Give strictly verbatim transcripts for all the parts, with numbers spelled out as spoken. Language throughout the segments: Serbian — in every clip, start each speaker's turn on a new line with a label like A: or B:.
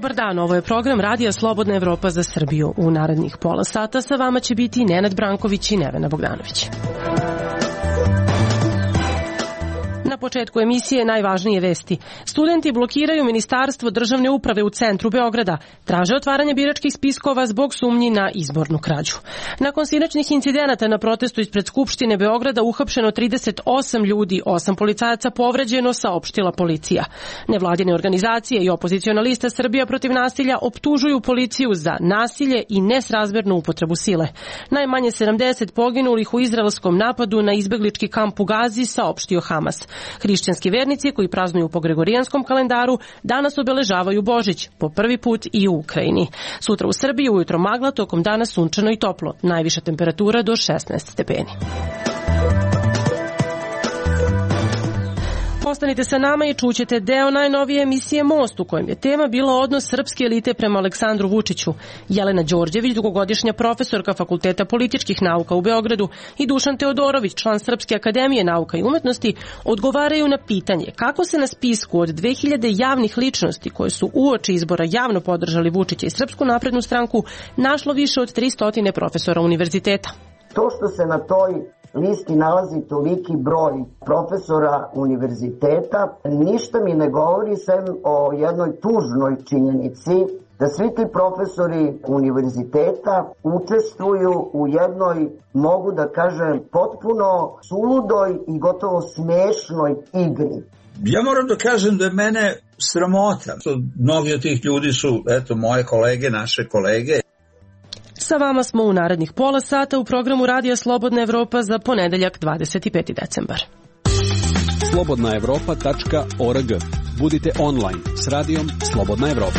A: Dobar dan, ovo je program Radija Slobodna Evropa za Srbiju. U narednih pola sata sa vama će biti Nenad Branković i Nevena Bogdanović. Na početku emisije najvažnije vesti. Studenti blokiraju Ministarstvo državne uprave u centru Beograda. Traže otvaranje biračkih spiskova zbog sumnji na izbornu krađu. Nakon sinoćnih incidenata na protestu ispred Skupštine Beograda uhapšeno trideset osam ljudi, osam policajaca povređeno, saopštila policija. Nevladine organizacije i opoziciona lista Srbija protiv nasilja optužuju policiju za nasilje i nesrazmernu upotrebu sile. Najmanje sedamdeset poginulih u izraelskom napadu na izbeglički kamp u Gazi, saopštio Hamas. Hrišćanski vernici koji praznuju po gregorijanskom kalendaru danas obeležavaju Božić, po prvi put i u Ukrajini. Sutra u Srbiji ujutro magla, tokom dana sunčano i toplo. Najviša temperatura do šesnaest stepeni. Ostanite sa nama i čućete deo najnovije emisije Most, u kojem je tema bila odnos srpske elite prema Aleksandru Vučiću. Jelena Đorđević, dugogodišnja profesorka Fakulteta političkih nauka u Beogradu, i Dušan Teodorović, član Srpske akademije nauka i umetnosti, odgovaraju na pitanje kako se na spisku od dve hiljade javnih ličnosti koje su uoči izbora javno podržali Vučića i Srpsku naprednu stranku našlo više od tristo profesora univerziteta.
B: To što se na toj listi nalazi toliki broj profesora univerziteta, ništa mi ne govori sem o jednoj tužnoj činjenici da svi ti profesori univerziteta učestvuju u jednoj, mogu da kažem, potpuno suludoj i gotovo smešnoj igri.
C: Ja moram da kažem da je mene sramota. Mnogi od tih ljudi su, eto, moje kolege, naše kolege.
A: Sa vama smo u narednih pola sata u programu Radija Slobodna Evropa za ponedeljak dvadeset peti decembar.
D: slobodna evropa tačka org. Budite online s Radijom Slobodna Evropa.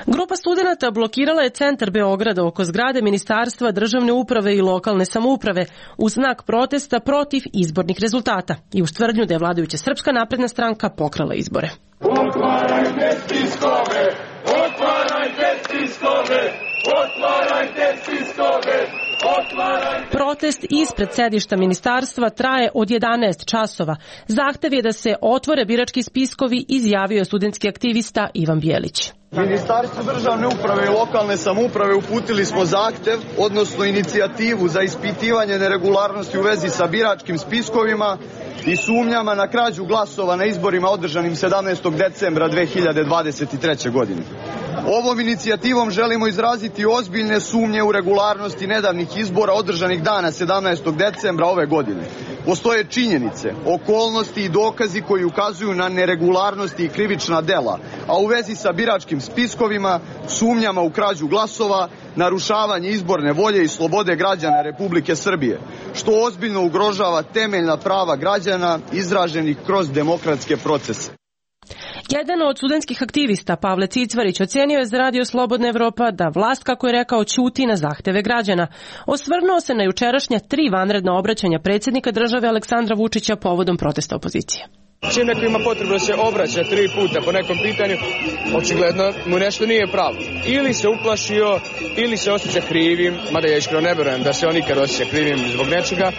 A: Grupa studenata blokirala je centar Beograda oko zgrade Ministarstva državne uprave i lokalne samouprave u znak protesta protiv izbornih rezultata i uz tvrdnju da je vladajuća Srpska napredna stranka pokrala izbore.
E: Otvarajte spiskove! Otvarajte spiskove! Otvarajte spiskove!
A: Protest ispred sedišta ministarstva traje od jedanaest časova. Zahtev je da se otvore birački spiskovi, izjavio je studentski aktivista Ivan Bjelić.
F: Ministarstvu državne uprave i lokalne samouprave uputili smo zahtev, odnosno inicijativu za ispitivanje neregularnosti u vezi sa biračkim spiskovima i sumnjama na krađu glasova na izborima održanim sedamnaestog decembra dve hiljade dvadeset treće. godine. Ovom inicijativom želimo izraziti ozbiljne sumnje u regularnosti nedavnih izbora održanih dana sedamnaestog decembra ove godine. Postoje činjenice, okolnosti i dokazi koji ukazuju na neregularnosti i krivična dela, a u vezi sa biračkim spiskovima, sumnjama u krađu glasova, narušavanje izborne volje i slobode građana Republike Srbije, što ozbiljno ugrožava temeljna prava građana izraženih kroz demokratske procese.
A: Jedan od studentskih aktivista, Pavle Cicvarić, ocenio je za Radio Slobodna Evropa da vlast, kako je rekao, ćuti na zahteve građana. Osvrnuo se na jučerašnja tri vanredna obraćanja predsjednika države Aleksandra Vučića povodom protesta opozicije.
G: Čim neko ima potrebu da se obraća tri puta po nekom pitanju, očigledno mu nešto nije pravo. Ili se uplašio, ili se osjeća krivim, mada ja iskreno ne verujem da se on nikad osjeća krivim zbog nečega,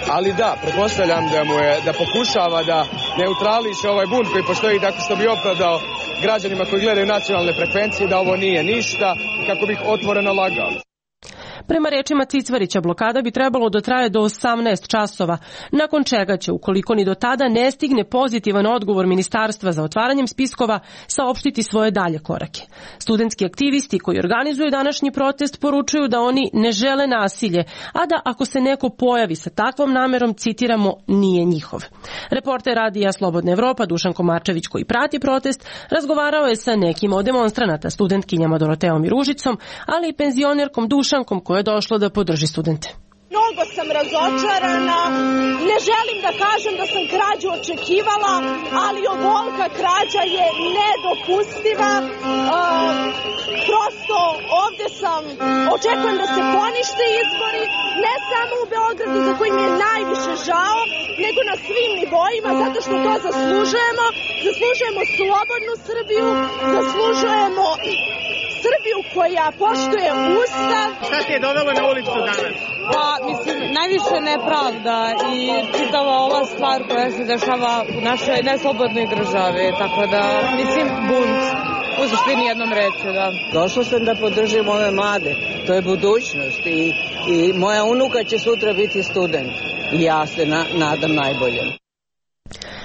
G: ali da, pretpostavljam da mu je, da pokušava da neutrališe ovaj bunt koji postoji tako što bi opravdao građanima koji gledaju nacionalne frekvencije da ovo nije ništa, kako bih otvoreno lagao.
A: Prema rečima Cicvarića, blokada bi trebalo da traje do osamnaest časova, nakon čega će, ukoliko ni do tada ne stigne pozitivan odgovor ministarstva za otvaranjem spiskova, saopštiti svoje dalje korake. Studentski aktivisti koji organizuju današnji protest poručuju da oni ne žele nasilje, a da ako se neko pojavi sa takvom namerom, citiramo, nije njihov. Reporter Radija Slobodna Evropa Dušan Komarčević, koji prati protest, razgovarao je sa nekim od demonstranata, studentkinjama Doroteom i Ružicom, ali i penzionerkom Dušankom, koja je došlo da podrži studente.
H: Mnogo sam razočarana, ne želim da kažem da sam krađu očekivala, ali ovolika krađa je nedopustiva. E, prosto ovdje sam, očekujem da se ponište izbori, ne samo u Beogradu za koji mi je najviše žao, nego na svim nivoima, zato što to zaslužujemo. Zaslužujemo slobodnu Srbiju, zaslužujemo Srbiju koja poštuje Ustav.
I: Šta te je dovelo na ulicu danas?
J: Pa, mislim, najviše nepravda i čitava ova stvar koja se dešava u našoj neslobodnoj državi, tako da, mislim, bunt. U suštini jednom reću, da.
K: Došla sam da podržim ove mlade. To je budućnost i, i moja unuka će sutra biti student. I ja se na, nadam najbolje.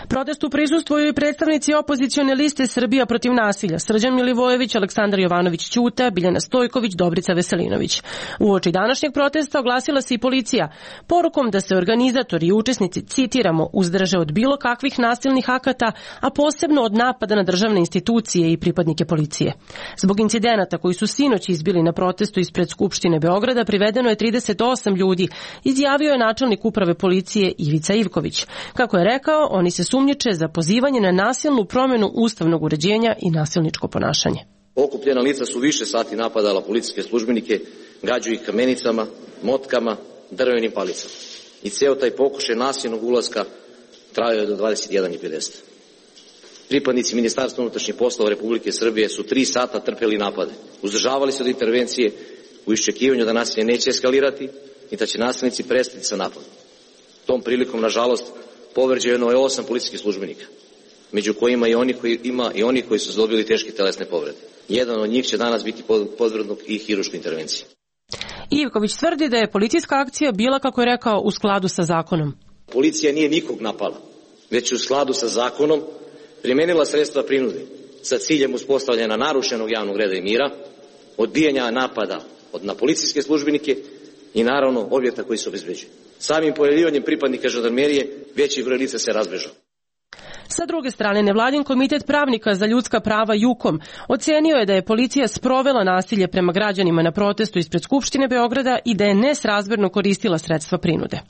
A: Protestu prisustvuju i predstavnici opozicione liste Srbija protiv nasilja, Srđan Milivojević, Aleksandar Jovanović Ćuta, Biljana Stojković, Dobrica Veselinović. Uoči današnjeg protesta oglasila se i policija, porukom da se organizatori i učesnici, citiramo, uzdrže od bilo kakvih nasilnih akata, a posebno od napada na državne institucije i pripadnike policije. Zbog incidenata koji su sinoć izbili na protestu ispred Skupštine Beograda privedeno je trideset osam ljudi, izjavio je načelnik uprave policije Ivica Ivković. Kako je rekao, oni se sumnjiče za pozivanje na nasilnu promjenu ustavnog uređenja i nasilničko ponašanje.
L: Okupljena lica su više sati napadala policijske službenike, gađaju ih kamenicama, motkama, drvenim palicama. I ceo taj pokušaj nasilnog ulaska trajao je do dvadeset jedan i pedeset. Pripadnici Ministarstva unutrašnjih poslova Republike Srbije su tri sata trpeli napade. Uzdržavali se od intervencije u iščekivanju da nasilje neće eskalirati i da će nasilnici prestati sa napadom. Tom prilikom, nažalost, povređeno je osam policijskih službenika, među kojima i oni koji ima i oni koji su dobili teške telesne povrede. Jedan od njih će danas biti podvrgnut i hirurškoj intervenciji.
A: Ivković tvrdi da je policijska akcija bila, kako je rekao, u skladu sa zakonom.
L: Policija nije nikog napala, već u skladu sa zakonom primenila sredstva prinude sa ciljem uspostavljanja narušenog javnog reda i mira, odbijanja napada od na policijske službenike i naravno objekta koji se obezbeđuju. Samim pojavljivanjem pripadnika žandarmerije veći broj lica se razbežao.
A: Sa druge strane, nevladin komitet pravnika za ljudska prava JUKOM ocenio je da je policija sprovela nasilje prema građanima na protestu ispred Skupštine Beograda i da je nesrazmerno koristila sredstva prinude.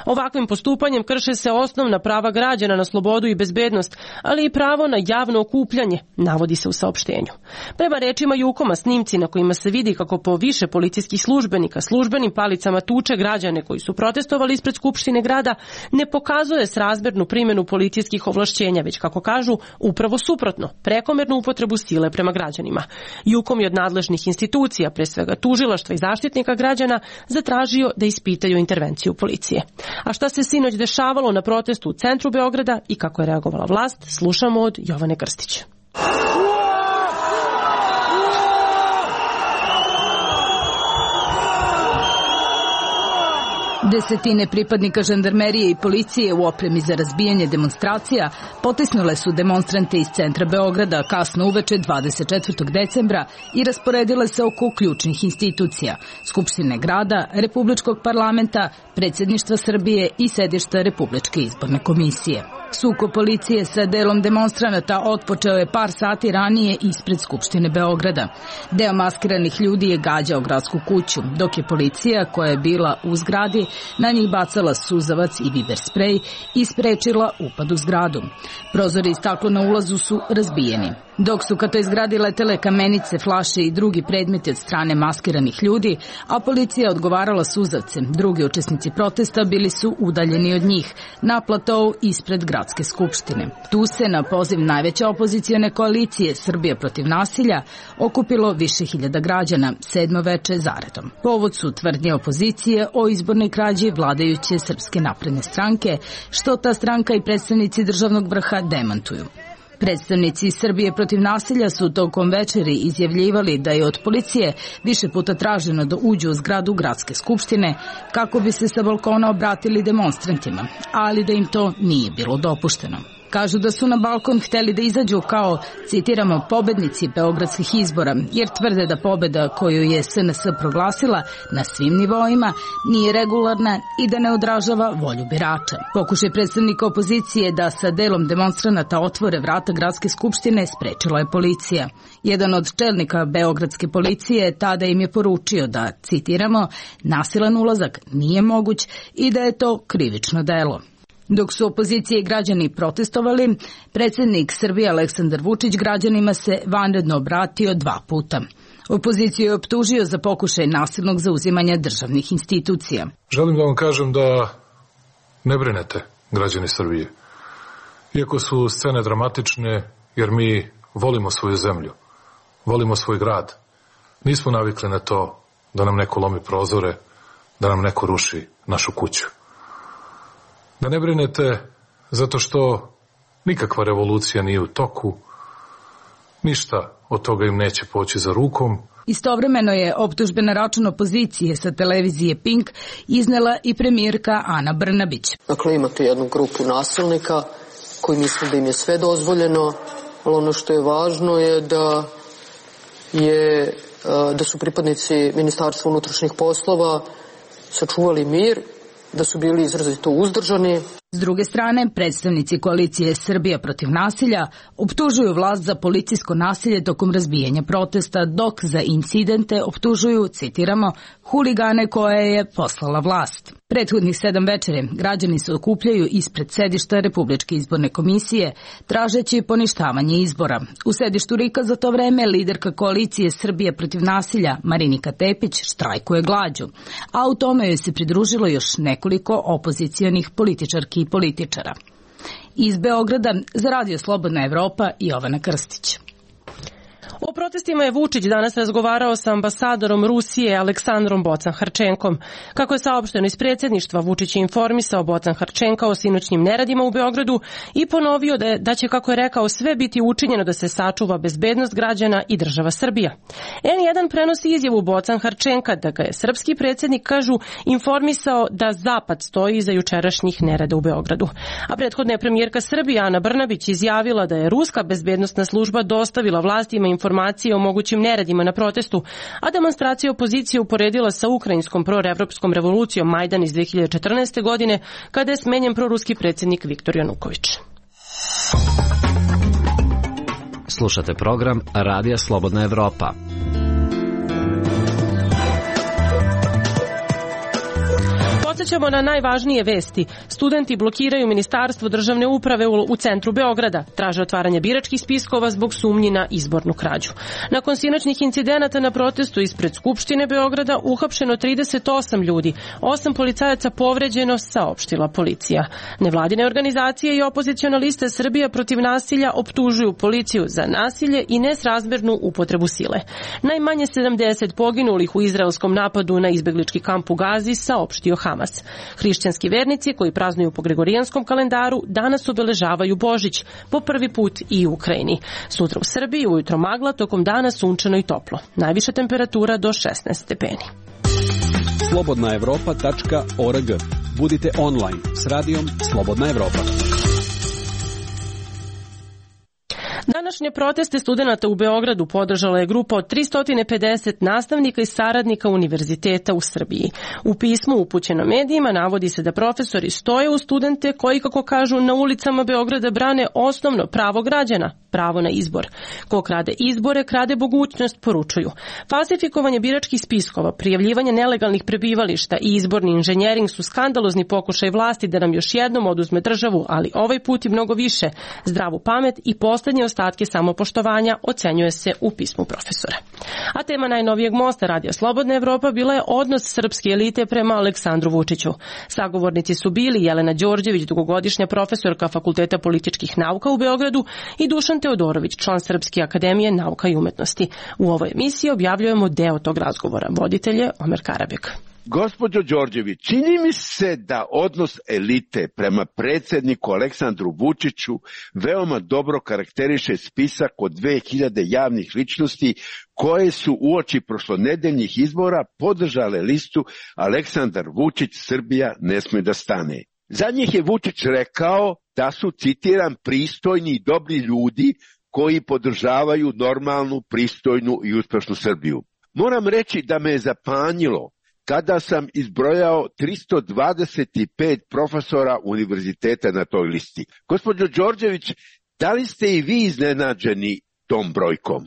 A: Ovakvim postupanjem krše se osnovna prava građana na slobodu i bezbednost, ali i pravo na javno okupljanje, navodi se u saopštenju. Prema rečima JUKOM-a, snimci na kojima se vidi kako po više policijskih službenika službenim palicama tuče građane koji su protestovali ispred Skupštine grada ne pokazuje srazmernu primjenu policijskih ovlašćenja, već, kako kažu, upravo suprotno, prekomernu upotrebu sile prema građanima. JUKOM je od nadležnih institucija, pre svega tužilaštva i zaštitnika građana, zatražio da ispitaju intervenciju policije. A šta se sinoć dešavalo na protestu u centru Beograda i kako je reagovala vlast, slušamo od Jovane Krstić.
M: Desetine pripadnika žandarmerije i policije u opremi za razbijanje demonstracija potisnule su demonstrante iz centra Beograda kasno uveče dvadeset četvrtog decembra i rasporedile se oko ključnih institucija, Skupštine grada, Republičkog parlamenta, Predsjedništva Srbije i sedišta Republičke izborne komisije. Sukob policije sa delom demonstranata otpočeo je par sati ranije ispred Skupštine Beograda. Deo maskiranih ljudi je gađao gradsku kuću, dok je policija, koja je bila u zgradi, na njih bacala suzavac i biber sprej i sprečila upad u zgradu. Prozori i staklo na ulazu su razbijeni. Dok su ka toj zgradi letele kamenice, flaše i drugi predmeti od strane maskiranih ljudi, a policija odgovarala suzavcem, drugi učesnici protesta bili su udaljeni od njih, na platou ispred Gradske skupštine. Tu se, na poziv najveće opozicione koalicije Srbija protiv nasilja, okupilo više hiljada građana, sedmo veče zaredom. Povod su tvrdnje opozicije o izbornoj krađi vladajuće Srpske napredne stranke, što ta stranka i predstavnici državnog vrha demantuju. Predstavnici Srbije protiv nasilja su tokom večeri izjavljivali da je od policije više puta traženo da uđu u zgradu Gradske skupštine kako bi se sa balkona obratili demonstrantima, ali da im to nije bilo dopušteno. Kažu da su na balkon hteli da izađu kao, citiramo, pobednici beogradskih izbora, jer tvrde da pobeda koju je S N S proglasila na svim nivoima nije regularna i da ne odražava volju birača. Pokušaj predstavnika opozicije da sa delom demonstranata otvore vrata Gradske skupštine sprečila je policija. Jedan od čelnika beogradske policije tada im je poručio da, citiramo, nasilan ulazak nije moguć i da je to krivično delo. Dok su opozicije i građani protestovali, predsjednik Srbije Aleksandar Vučić građanima se vanredno obratio dva puta. Opoziciju je optužio za pokušaj nasilnog zauzimanja državnih institucija.
N: Želim da vam kažem da ne brinete, građani Srbije. Iako su scene dramatične, jer mi volimo svoju zemlju, volimo svoj grad, Nismo navikli na to da nam neko lomi prozore, da nam neko ruši našu kuću. Da ne brinete zato što nikakva revolucija nije u toku, ništa od toga im neće poći za rukom.
M: Istovremeno je optužbe na račun opozicije sa televizije Pink iznela i premijerka Ana Brnabić.
O: Dakle, imate jednu grupu nasilnika koji misle da im je sve dozvoljeno, ali ono što je važno je da, je, da su pripadnici Ministarstva unutrašnjih poslova sačuvali mir, da su bili izrazito uzdržani.
M: S druge strane, predstavnici koalicije Srbija protiv nasilja optužuju vlast za policijsko nasilje tokom razbijanja protesta, dok za incidente optužuju, citiramo, huligane koje je poslala vlast. Prethodnih sedam večere građani se okupljaju ispred sedišta Republičke izborne komisije, tražeći poništavanje izbora. U sedištu RIK-a za to vreme liderka koalicije Srbija protiv nasilja Marinika Tepić štrajkuje glađu, a u tome joj se pridružilo još nekoliko opozicionih političarki i političara. Iz Beograda za Radio Slobodna Evropa Jovana Krstić.
A: O protestima je Vučić danas razgovarao sa ambasadorom Rusije Aleksandrom Bocan-Harčenkom. Kako je saopšteno iz predsjedništva, Vučić je informisao Bocan-Harčenka o sinoćnim neradima u Beogradu i ponovio da, je, da će, kako je rekao, sve biti učinjeno da se sačuva bezbednost građana i država Srbija. en jedan prenosi izjavu Bocan-Harčenka da ga je srpski predsjednik, kažu, informisao da Zapad stoji iza jučerašnjih nerada u Beogradu. A prethodna je premijerka Srbije Ana Brnabić izjavila da je ruska bezbednostna služba dostavila vlastima informacije informacije o mogućim neredima na protestu, a demonstracija opozicije uporedila sa ukrajinskom proevropskom revolucijom Majdan iz dve hiljade četrnaeste. godine, kada je smenjen proruski predsjednik Viktor Januković.
P: Slušate program Radija Slobodna Evropa.
A: Podsećamo na najvažnije vesti. Studenti blokiraju Ministarstvo državne uprave u centru Beograda. Traže otvaranje biračkih spiskova zbog sumnji na izbornu krađu. Nakon sinoćnih incidenata na protestu ispred Skupštine Beograda uhapšeno trideset osam ljudi. Osam policajaca povređeno, saopštila policija. Nevladine organizacije i opoziciona lista Srbija protiv nasilja optužuju policiju za nasilje i nesrazmernu upotrebu sile. Najmanje sedamdeset poginulih u izraelskom napadu na izbeglički kamp u Gazi, saopštio Hamas. Hrišćanski vernici koji praznuju po gregorijanskom kalendaru danas obeležavaju Božić, po prvi put i u Ukrajini. Sutra u Srbiji ujutro magla, tokom dana sunčano i toplo. Najviša temperatura do šesnaest stepeni.
D: slobodna evropa tačka org. Budite online s radijom Slobodna Evropa.
A: Današnje proteste studenata u Beogradu podržala je grupa od tristo pedeset nastavnika i saradnika univerziteta u Srbiji. U pismu upućeno medijima navodi se da profesori stoje u studente koji, kako kažu, na ulicama Beograda brane osnovno pravo građana, pravo na izbor. Ko krade izbore, krade mogućnost, poručuju. Falsifikovanje biračkih spiskova, prijavljivanje nelegalnih prebivališta i izborni inženjering su skandalozni pokušaj vlasti da nam još jednom oduzme državu, ali ovaj put i mnogo više, zdravu pamet i poslednje ostatke samopoštovanja, ocenjuje se u pismu profesora. A tema najnovijeg mosta Radija Slobodna Evropa bila je odnos srpske elite prema Aleksandru Vučiću. Sagovornici su bili Jelena Đorđević, dugogodišnja profesorka Fakulteta političkih nauka u Beogradu, i Dušan Teodorović, član Srpske akademije nauka i umetnosti. U ovoj emisiji objavljujemo deo tog razgovora. Voditelj je Omer Karabek.
Q: Gospođo Đorđević, čini mi se da odnos elite prema predsjedniku Aleksandru Vučiću veoma dobro karakteriše spisak od dve hiljade javnih ličnosti koje su uoči prošlonedeljnih izbora podržale listu Aleksandar Vučić, Srbija ne sme da stane. Za njih je Vučić rekao da su, citiram, pristojni i dobri ljudi koji podržavaju normalnu, pristojnu i uspešnu Srbiju. Moram reći da me je zapanjilo kada sam izbrojao tristo dvadeset pet profesora univerziteta na toj listi. Gospođo Đorđević, da li ste i vi iznenađeni tom brojkom?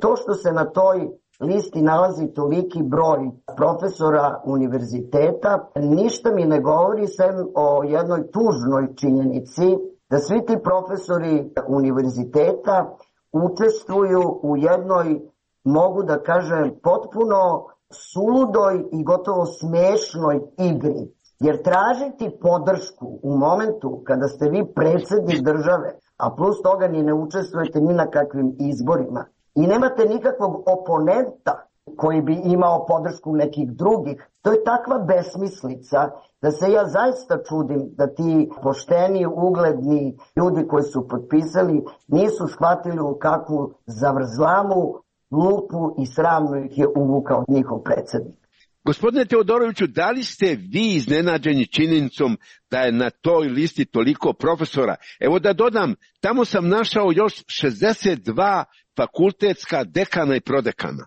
B: To što se na toj listi nalazi toliki broj profesora univerziteta, ništa mi ne govori sem o jednoj tužnoj činjenici da svi ti profesori univerziteta učestvuju u jednoj, mogu da kažem, potpuno suludoj i gotovo smešnoj igri. Jer tražiti podršku u momentu kada ste vi predsjednik države, a plus toga ni ne učestvujete ni na kakvim izborima i nemate nikakvog oponenta koji bi imao podršku nekih drugih. To je takva besmislica da se ja zaista čudim da ti pošteni, ugledni ljudi koji su potpisali nisu shvatili u kakvu zavrzlamu, lupu i sramnu ih je uvukao njihov predsjednik.
Q: Gospodine Teodoroviću, da li ste vi iznenađeni činjenicom da je na toj listi toliko profesora? Evo da dodam, tamo sam našao još šezdeset dva fakultetska dekana i prodekana.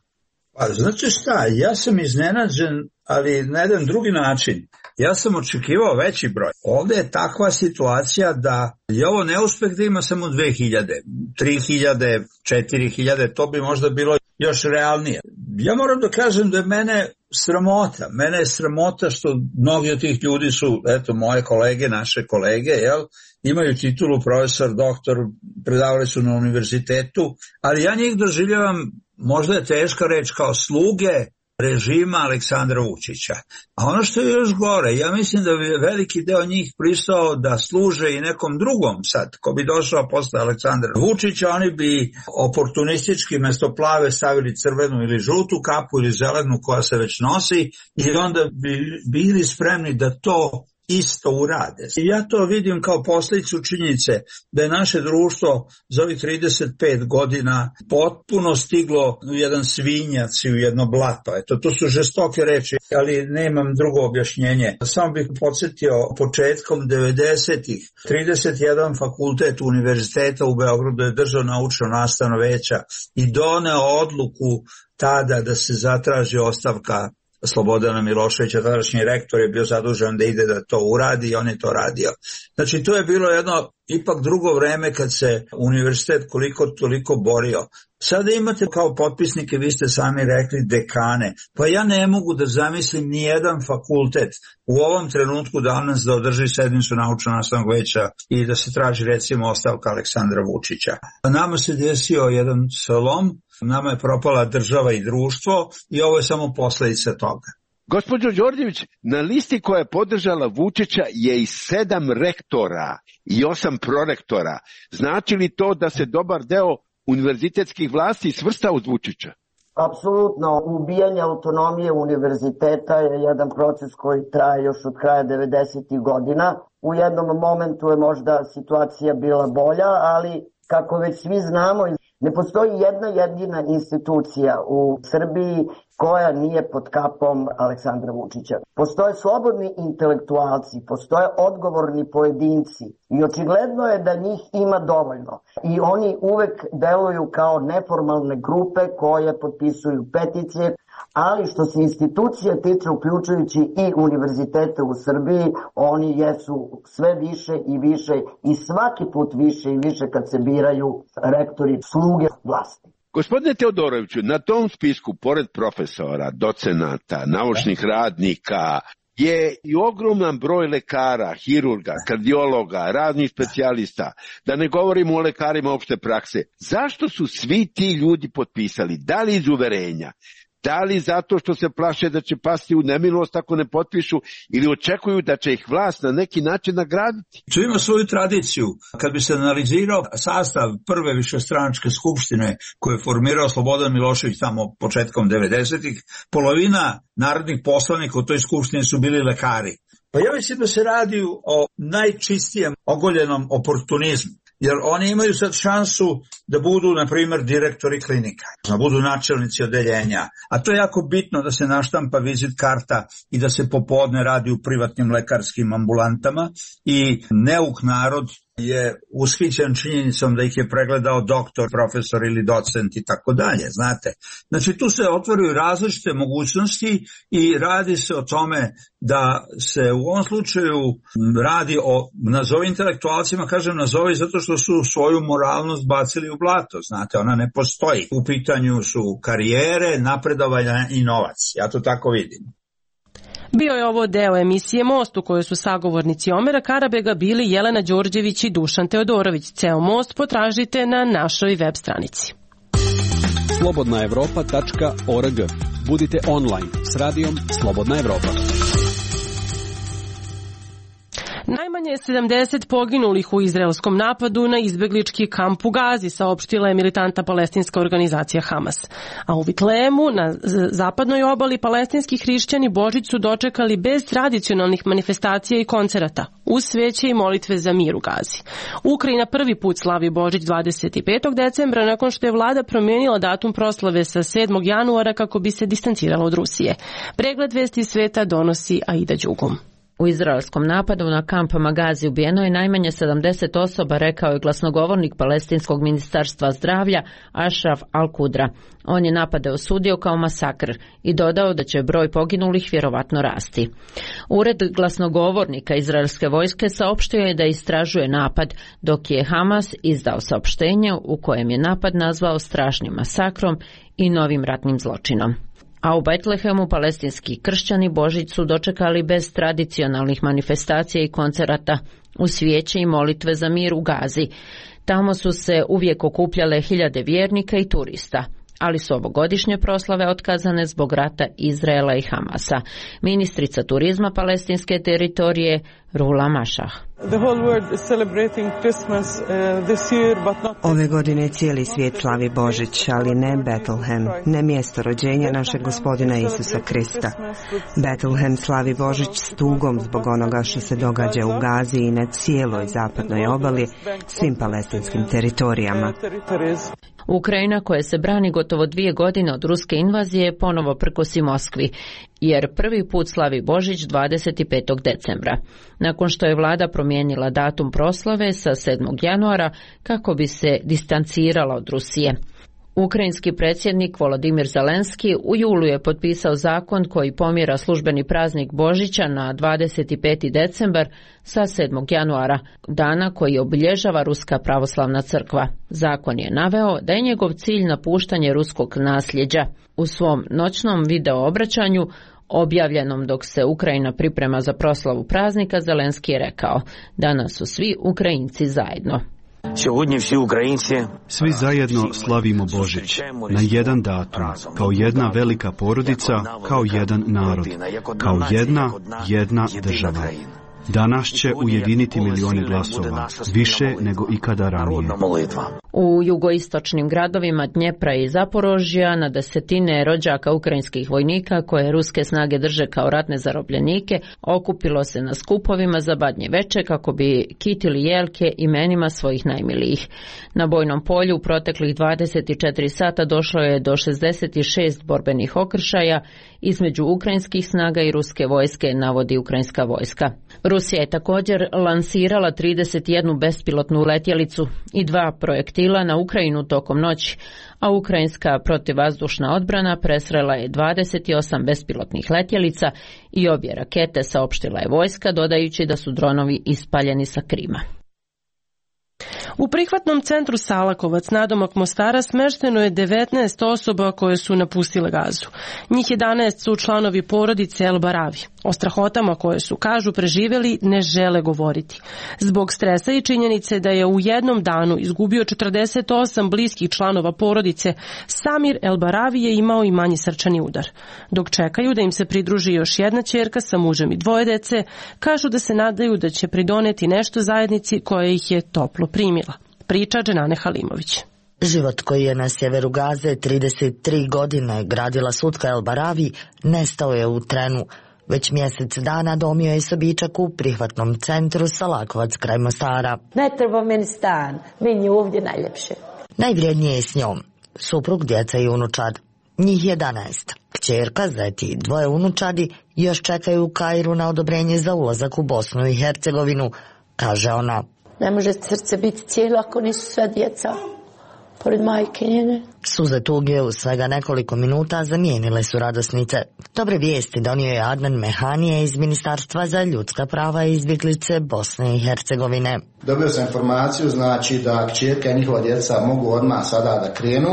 C: Pa znači šta, ja sam iznenađen, ali na jedan drugi način. Ja sam očekivao veći broj. Ovdje je takva situacija da je ovo neuspeh da ima samo dve hiljade, tri hiljade, četiri hiljade, to bi možda bilo još realnije. Ja moram da kažem da je mene sramota. Mene je sramota što mnogi od tih ljudi su, eto, moje kolege, naše kolege, jel, imaju titulu profesor, doktor, predavali su na univerzitetu, ali ja njih doživljavam, možda je teška reč, kao sluge režima Aleksandra Vučića. A ono što je još gore, ja mislim da bi veliki deo njih pristao da služe i nekom drugom sad, ko bi došao posle Aleksandra Vučića, oni bi oportunistički mesto plave stavili crvenu ili žutu kapu ili zelenu koja se već nosi i onda bi bili spremni da to isto urade. I ja to vidim kao posljedicu činjenice da je naše društvo za ovih trideset pet godina potpuno stiglo u jedan svinjac i u jedno blato. Eto, to su žestoke reči, ali nemam drugo objašnjenje. Samo bih podsjetio, početkom devedesetih trideset jedan fakultet univerziteta u Beogradu je držao naučno nastavno veća i doneo odluku tada da se zatraži ostavka Slobodana Miloševića, tadašnji rektor je bio zadužen da ide da to uradi i on je to radio. Znači to je bilo jedno ipak drugo vreme kad se univerzitet koliko toliko borio. Sada imate kao potpisnike, vi ste sami rekli, dekane. Pa ja ne mogu da zamislim ni jedan fakultet u ovom trenutku danas da održi sednicu naučno-nastavnog veća i da se traži recimo ostavka Aleksandra Vučića. Nama se desio jedan slom, nama je propala država i društvo i ovo je samo posledica toga.
Q: Gospođo Đorđević, na listi koja je podržala Vučića je i sedam rektora i osam prorektora. Znači li to da se dobar deo univerzitetskih vlasti svrsta uz Vučića?
B: Apsolutno, ubijanje autonomije univerziteta je jedan proces koji traje još od kraja devedesetih godina. U jednom momentu je možda situacija bila bolja, ali kako već svi znamo, ne postoji jedna jedina institucija u Srbiji koja nije pod kapom Aleksandra Vučića. Postoje slobodni intelektualci, postoje odgovorni pojedinci i očigledno je da njih ima dovoljno. I oni uvek deluju kao neformalne grupe koje potpisuju peticije, ali što se institucija tiče, uključujući i univerzitete u Srbiji, oni jesu sve više i više i svaki put više i više kad se biraju rektori sluge vlasti.
Q: Gospodine Teodoroviću, na tom spisku, pored profesora, docenata, naučnih radnika, je i ogroman broj lekara, hirurga, kardiologa, raznih specijalista, da ne govorimo o lekarima opšte prakse. Zašto su svi ti ljudi potpisali? Da li iz uverenja? Da li zato što se plaše da će pasti u nemilost ako ne potpišu ili očekuju da će ih vlast na neki način nagraditi?
C: To ima svoju tradiciju. Kad bi se analizirao sastav prve višestranačke skupštine koju je formirao Slobodan Milošević tamo početkom devedesetih, polovina narodnih poslanika u toj skupštini su bili lekari. Pa ja mislim da se radi o najčistijem ogoljenom oportunizmu. Jer oni imaju sad šansu da budu, na primjer, direktori klinika, da budu načelnici odeljenja. A to je jako bitno da se naštampa vizit karta i da se popodne radi u privatnim lekarskim ambulantama i neuk narod je ushićen činjenicom da ih je pregledao doktor, profesor ili docent i tako dalje, znate. Znači tu se otvaraju različite mogućnosti i radi se o tome da se u ovom slučaju radi o, nazovi intelektualcima, kažem nazovi zato što su svoju moralnost bacili u blato, znate, ona ne postoji. U pitanju su karijere, napredovanja i novac, ja to tako vidim.
A: Bio je ovo deo emisije Most u kojoj su sagovornici Omera Karabega bili Jelena Đorđević i Dušan Teodorović. Ceo Most potražite na našoj web stranici.
D: slobodna evropa tačka org. Budite online s radijom Slobodna Evropa.
A: Najmanje Najmanje sedamdeset poginulih u izraelskom napadu na izbeglički kamp u Gazi, saopštila je militantna palestinska organizacija Hamas. A u Vitlemu, na zapadnoj obali, palestinski hrišćani Božić su dočekali bez tradicionalnih manifestacija i koncerata, uz sveće i molitve za mir u Gazi. Ukrajina prvi put slavi Božić dvadeset petog decembra nakon što je vlada promijenila datum proslave sa sedmog januara kako bi se distancirala od Rusije. Pregled vesti sveta donosi Aida Đugum.
R: U izraelskom napadu na kamp Magazi ubijeno je najmanje sedamdeset osoba, rekao je glasnogovornik palestinskog ministarstva zdravlja Ashraf Al-Kudra. On je napade osudio kao masakr i dodao da će broj poginulih vjerovatno rasti. Ured glasnogovornika izraelske vojske saopštio je da istražuje napad, dok je Hamas izdao saopštenje u kojem je napad nazvao strašnim masakrom i novim ratnim zločinom. A u Betlehemu palestinski kršćani Božić su dočekali bez tradicionalnih manifestacija i koncerata, u svijeće i molitve za mir u Gazi. Tamo su se uvijek okupljale hiljade vjernika i turista, ali su ovogodišnje proslave otkazane zbog rata Izraela i Hamasa. Ministrica turizma palestinske teritorije Rula Mašah.
S: Ove godine cijeli svijet slavi Božić, ali ne Betlehem, ne mjesto rođenja našeg gospodina Isusa Krista. Betlehem slavi Božić s tugom zbog onoga što se događa u Gazi i na cijeloj zapadnoj obali, svim palestinskim teritorijama.
R: Ukrajina, koja se brani gotovo dvije godine od ruske invazije, ponovo prkosi Moskvi, jer prvi put slavi Božić dvadeset petog decembra. Nakon što je vlada promijenila datum proslave sa sedmog januara kako bi se distancirala od Rusije. Ukrajinski predsjednik Volodimir Zelenski u julu je potpisao zakon koji pomjera službeni praznik Božića na dvadeset peti decembar sa sedmog januara, dana koji obilježava Ruska pravoslavna crkva. Zakon je naveo da je njegov cilj napuštanje ruskog nasljeđa. U svom noćnom video obraćanju, objavljenom dok se Ukrajina priprema za proslavu praznika, Zelenski je rekao: danas su svi Ukrajinci zajedno.
T: Svi zajedno slavimo Božić na jedan datum, kao jedna velika porodica, kao jedan narod, kao jedna, jedna država. Danas će ujediniti milione glasova, više nego ikada ranije.
R: U jugoistočnim gradovima Dnjepra i Zaporožja na desetine rođaka ukrajinskih vojnika koje ruske snage drže kao ratne zarobljenike okupilo se na skupovima za Badnje veče kako bi kitili jelke imenima svojih najmilijih. Na bojnom polju u proteklih dvadeset četiri sata došlo je do šezdeset šest borbenih okršaja između ukrajinskih snaga i ruske vojske, navodi ukrajinska vojska. Rusija je također lansirala trideset jednu bespilotnu letjelicu i dva projektila na Ukrajinu tokom noći, a ukrajinska protivvazdušna odbrana presrela je dvadeset osam bespilotnih letjelica i obje rakete, saopštila je vojska, dodajući da su dronovi ispaljeni sa Krima.
A: U prihvatnom centru Salakovac nadomak Mostara smešteno je devetnaest osoba koje su napustile Gazu. Njih jedanaest su članovi porodice El Baravi. O strahotama koje su, kažu, preživjeli ne žele govoriti. Zbog stresa i činjenice da je u jednom danu izgubio četrdeset osam bliskih članova porodice, Samir El Baravi je imao i manji srčani udar. Dok čekaju da im se pridruži još jedna ćerka sa mužem i dvoje dece, kažu da se nadaju da će pridoneti nešto zajednici koja ih je toplo primila. Priča Dženane Halimović.
U: Život koji je na sjeveru Gaze trideset tri godine gradila Sutka El Baravi nestao je u trenu. Već mjesec dana domio je sobičak u prihvatnom centru Salakovac kraj Mostara.
V: Ne treba meni stan, meni je ovdje najljepše.
U: Najvrijednije je s njom suprug, djeca i unučad. Njih jedanaest. Kćerka, zeti, dvoje unučadi još čekaju u Kairu na odobrenje za ulazak u Bosnu i Hercegovinu, kaže ona.
V: Ne može srce biti cijelo ako nisu sve djeca pored majke njene.
U: Suze tuge u svega nekoliko minuta zamijenile su radosnice. Dobre vijesti donio je Adnan Mehanije iz Ministarstva za ljudska prava i izbjeglice Bosne i Hercegovine.
W: Dobio sam informaciju, znači da kćerka i njihova djeca mogu odmah sada da krenu,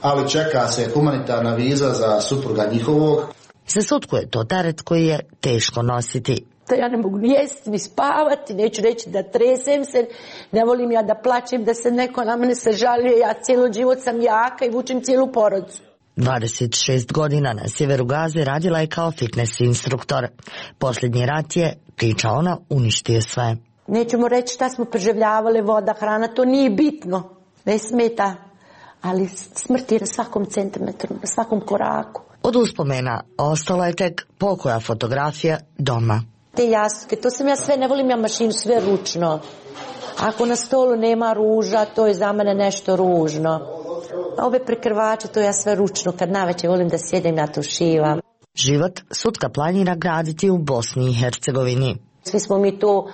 W: ali čeka se humanitarna viza za supruga njihovog.
U: Za Sutku je to teret koji je teško nositi.
V: Da ja ne mogu ni jesti, ni spavati, neću reći da tresem se, ne volim ja da plaćem, da se neko na mene se žalije, ja cijelo život sam jaka i vučem cijelu porodicu.
U: dvadeset šest godina na sjeveru Gaze radila je kao fitness instruktor. Posljednji rat je, priča ona, uništio sve.
V: Nećemo reći šta smo preživljavali, voda, hrana, to nije bitno, ne smeta, ali smrt je na svakom centimetru, na svakom koraku.
U: Od uspomena ostala je tek pokoja fotografija doma.
V: Te jastuke, to sam ja sve, ne volim ja mašinu, sve ručno. Ako na stolu nema ruža, to je za mene nešto ružno. A ove prekrvače, to ja sve ručno, kad naveče volim da sjedem, ja to šivam.
U: Život Sutka planira graditi u Bosni i Hercegovini.
V: Svi smo mi tu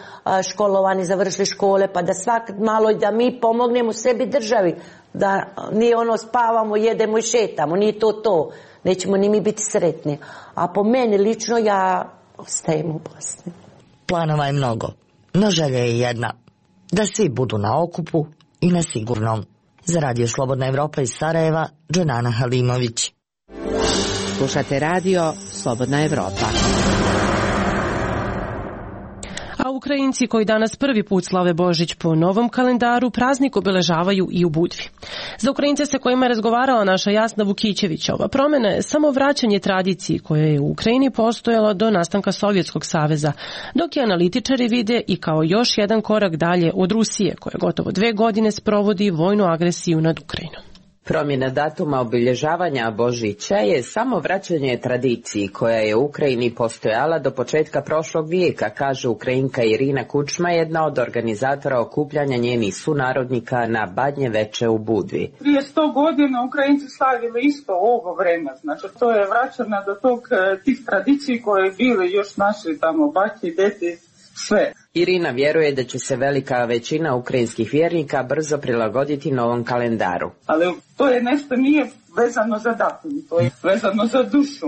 V: školovani, završili škole, pa da svak malo da mi pomognemo sebi državi, da nije ono spavamo, jedemo i šetamo, nije to to, nećemo ni mi biti sretni. A po meni lično ja ostajem u Bosni.
U: Planova je mnogo, no želja je jedna, da svi budu na okupu i na sigurnom. Za Radio Slobodna Evropa iz Sarajeva, Dženana Halimović.
E: Slušate radio Slobodna Evropa.
A: A Ukrajinci koji danas prvi put slave Božić po novom kalendaru praznik obeležavaju i u Budvi. Za Ukrajince sa kojima je razgovarala naša Jasna Vukićević, ova promjena je samo vraćanje tradiciji koja je u Ukrajini postojala do nastanka Sovjetskog saveza, dok je analitičari vide i kao još jedan korak dalje od Rusije, koja gotovo dve godine sprovodi vojnu agresiju nad Ukrajinom.
E: Promjena datuma obilježavanja Božića je samo vraćanje tradiciji koja je u Ukrajini postojala do početka prošlog vijeka, kaže Ukrajinka Irina Kučma, jedna od organizatora okupljanja njenih sunarodnika na Badnje veče u Budvi.
F: Prije sto godina Ukrajinci slavili isto ovo vreme, znači to je vraćana do tog tih tradiciji koje bili još naši tamo baki, deti, sve.
E: Irina vjeruje da će se velika većina ukrajinskih vjernika brzo prilagoditi novom kalendaru.
F: Ali to je nešto nije vezano za datum, to je vezano za dušu.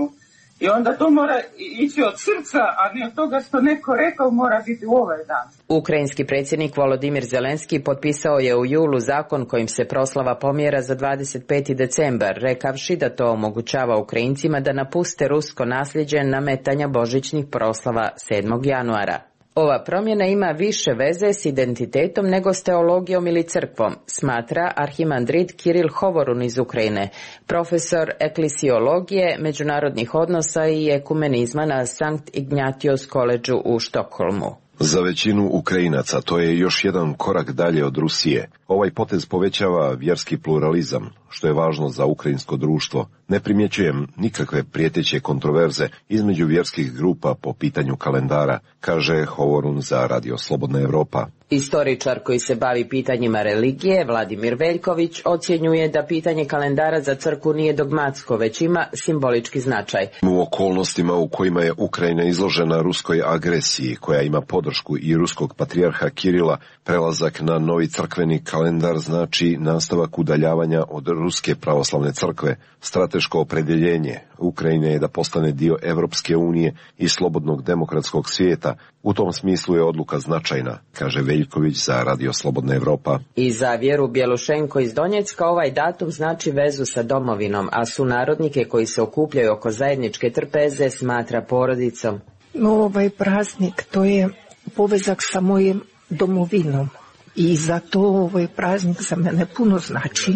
F: I onda to mora ići od srca, a ne od toga što neko rekao mora biti u ovaj dan.
E: Ukrajinski predsjednik Volodimir Zelenski potpisao je u julu zakon kojim se proslava pomjera za dvadeset peti decembar, rekavši da to omogućava Ukrajincima da napuste rusko nasljeđe nametanja božićnih proslava sedmog januara. Ova promjena ima više veze s identitetom nego s teologijom ili crkvom, smatra arhimandrit Kiril Hovorun iz Ukrajine, profesor eklesiologije, međunarodnih odnosa i ekumenizma na Sankt Ignatius Collegeu u Štokholmu.
G: Za većinu Ukrajinaca to je još jedan korak dalje od Rusije. Ovaj potez povećava vjerski pluralizam, što je važno za ukrajinsko društvo. Ne primjećujem nikakve prijeteće kontroverze između vjerskih grupa po pitanju kalendara, kaže Hovorun za Radio Slobodna Evropa.
E: Istoričar koji se bavi pitanjima religije, Vladimir Veljković, ocjenjuje da pitanje kalendara za crkvu nije dogmatsko, već ima simbolički značaj.
G: U okolnostima u kojima je Ukrajina izložena ruskoj agresiji, koja ima podršku i ruskog patrijarha Kirila, prelazak na novi crkveni kalendar znači nastavak udaljavanja od ruske pravoslavne crkve, strateško opredjeljenje Ukrajine je da postane dio Evropske unije i slobodnog demokratskog svijeta. U tom smislu je odluka značajna, kaže Veljković za Radio Slobodna Evropa.
E: I za Vjeru Bjelušenko iz Donjecka ovaj datum znači vezu sa domovinom, a sunarodnike koji se okupljaju oko zajedničke trpeze smatra porodicom.
X: No, ovaj praznik to je povezak sa mojim domovinom i zato ovaj praznik za mene puno znači.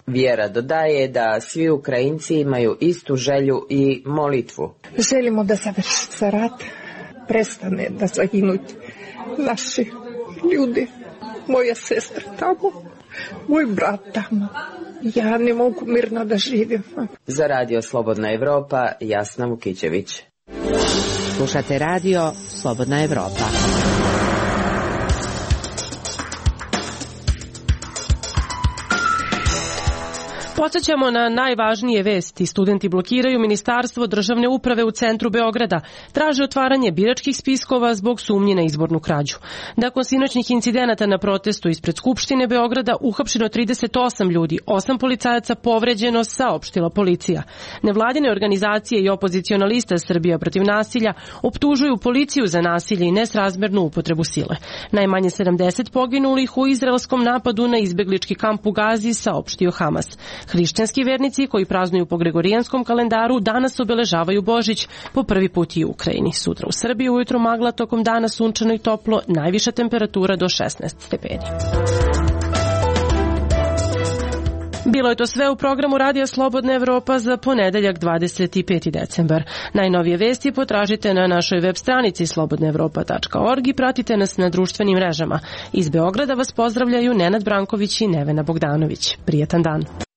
E: Vjera dodaje da svi Ukrajinci imaju istu želju i molitvu.
X: Želimo da završi se rat, prestane da zaginuti naši ljudi, moja sestra tamo, moj brat tamo. Ja ne mogu mirno da živim.
E: Za Radio Slobodna Evropa, Jasna Vukićević. Slušate radio Slobodna Evropa.
A: Podsjećamo na najvažnije vesti. Studenti blokiraju Ministarstvo državne uprave u centru Beograda. Traže otvaranje biračkih spiskova zbog sumnji na izbornu krađu. Nakon sinoćnih incidenata na protestu ispred Skupštine Beograda uhapšeno trideset osam ljudi, osam policajaca povređeno, saopštila policija. Nevladine organizacije i opoziciona lista Srbija protiv nasilja optužuju policiju za nasilje i nesrazmernu upotrebu sile. Najmanje sedamdeset poginulih u izraelskom napadu na izbeglički kamp u Gazi, saopštio Hamas. Hrišćanski vernici koji praznuju po gregorijanskom kalendaru danas obeležavaju Božić po prvi put i u Ukrajini. Sutra u Srbiji ujutro magla, tokom dana sunčano i toplo, najviša temperatura do šesnaest stepeni. Bilo je to sve u programu Radija Slobodna Evropa za ponedeljak dvadeset peti decembar. Najnovije vesti potražite na našoj web stranici slobodna evropa tačka org i pratite nas na društvenim mrežama. Iz Beograda vas pozdravljaju Nenad Branković i Nevena Bogdanović. Prijetan dan.